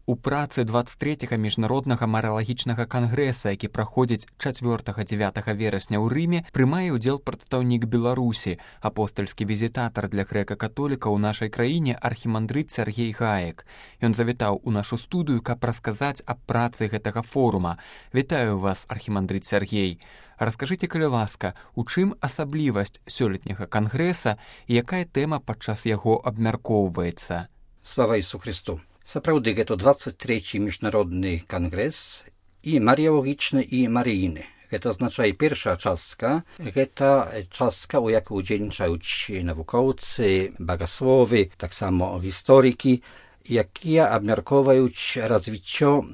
У працы 23-га міжнароднага марыялагічнага кангрэса, які праходзіць 4-9 верасня ў Рыме, прымае ўдзел прадстаўнік Беларусі, апостальскі візітатар для грэка-католіка ў нашай краіне архімандрыт Сергей Гаек. Ён завітаў у нашу студыю, каб расказаць аб працы гэтага форума. Вітаю вас, архімандрыт Сергей. Раскажыце, калі ласка, у чым асаблівасць сёлетняга кангрэса і якая тэма падчас яго абмяркоўваецца? Слава Ісусу Христу! Сапраўды, гэта 23-й міжнародны кангрэс і марыялагічны, і марыйны. Гэта азначае першая частка. Гэта частка, у якой удзельнічаюць навукоўцы, багасловы, таксама гісторыкі, якія абмяркоўваюць развіццё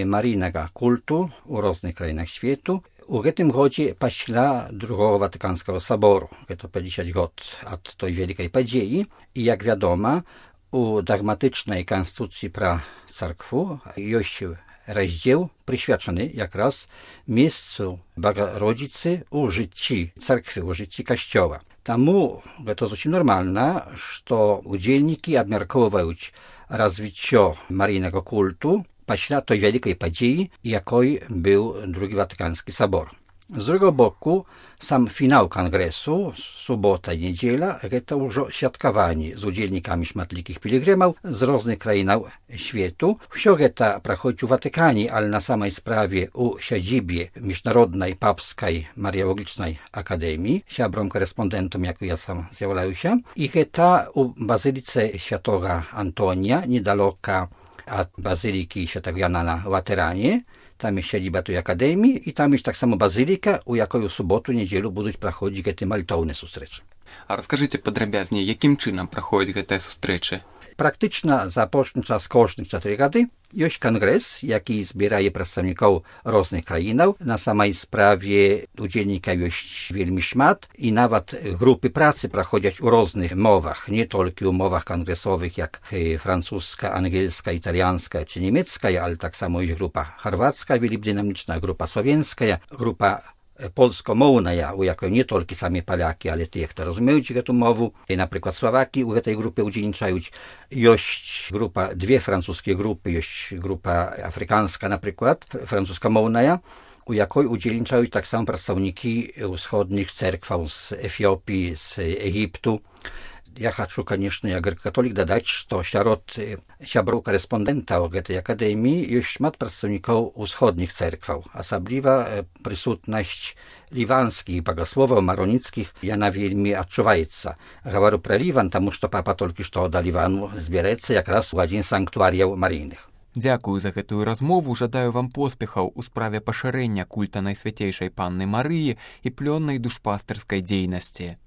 марыйнага культу ў розных краінах свету. У гэтым годзе пасля Другого Ватыканскага сабору. Гэта 50 год ад той вялікай падзеі. І, як вядома, у дагматычнай канстытуцыі пра царкву ёсць раздзел, прысвячаны якраз месцу Багародзіцы ў жыцці царквы, у жыцці касцёла. Таму гэта зусім нармальна, што удзельнікі абмяркоўваюць развіццё марыйнага культу пасля той вялікай падзеі, якой быў Другі Ватыканскі сабор. З другого боку, сам фінал кангрэсу, субота і нядзеля, гэта ўжо святкаванне з удзельнікамі шматлікіх пілігрымаў з розных краінаў свету. Усё гэта праходзіць у Ватыкане, але на самай справе ў сядзібе міжнароднай папскай марыялагічнай акадэміі, сябром-карэспондэнтам, як я сам з'яўляюся. І гэта ў базыліцы святога Антонія, недалёка ад базылікі святага Яна на Латэране. Там jest siedziba tej akademii i tam jest tak samo bazylyka, u jakoj u sobotu, niedzielu будуть проходить гэты мальтоўныя сустрэчы. А раскажыце падрабязней, якім чынам праходзяць гэтыя сустрэчы? Практычна за апошні час кожных 4 гады ёсць кангрэс, які збірае прадстаўнікоў розных краінаў. На самай справе удзельнікаў ёсць вельмі шмат і нават групы працы праходзяць у розных мовах, не толькі ў мовах кангрэсовых, як французская, ангельская, італьянская ці нямецкая, але таксама ёсць група харвацкая, вельмі дынамічная, група славенская, група polsko-mołna, u jakiej nie tylko sami Polacy, ale tych, którzy rozumieją tę mowę. I na przykład Słowaki u tej grupy udzielniczają. Jest grupa, dwie francuskie grupy, jest grupa afrykańska na przykład, francuska-mołna, u jakiej udzielniczają tak samo przedstawniki wschodnich cerkw z Etiopii, z Egiptu. Ja chcę, конечно, jak katolik dodać, że wśród siabrów korespondenta o tej akademii jest szmat przedstawników wschodnich cerkw. Osobliwa przysutność liwanskich bogosłowów maronickich jana wielmi odczuwaється. Говорю про Ливан, тому що папа тільки що до Ливану збереться якраз у один з санктуаріїв марійних. Дзякую за гэтую размову, жадаю вам поспехаў у справе пашырэння культа Найсвяцейшай Панны Марыі і плённай душпастырскай дзейнасці.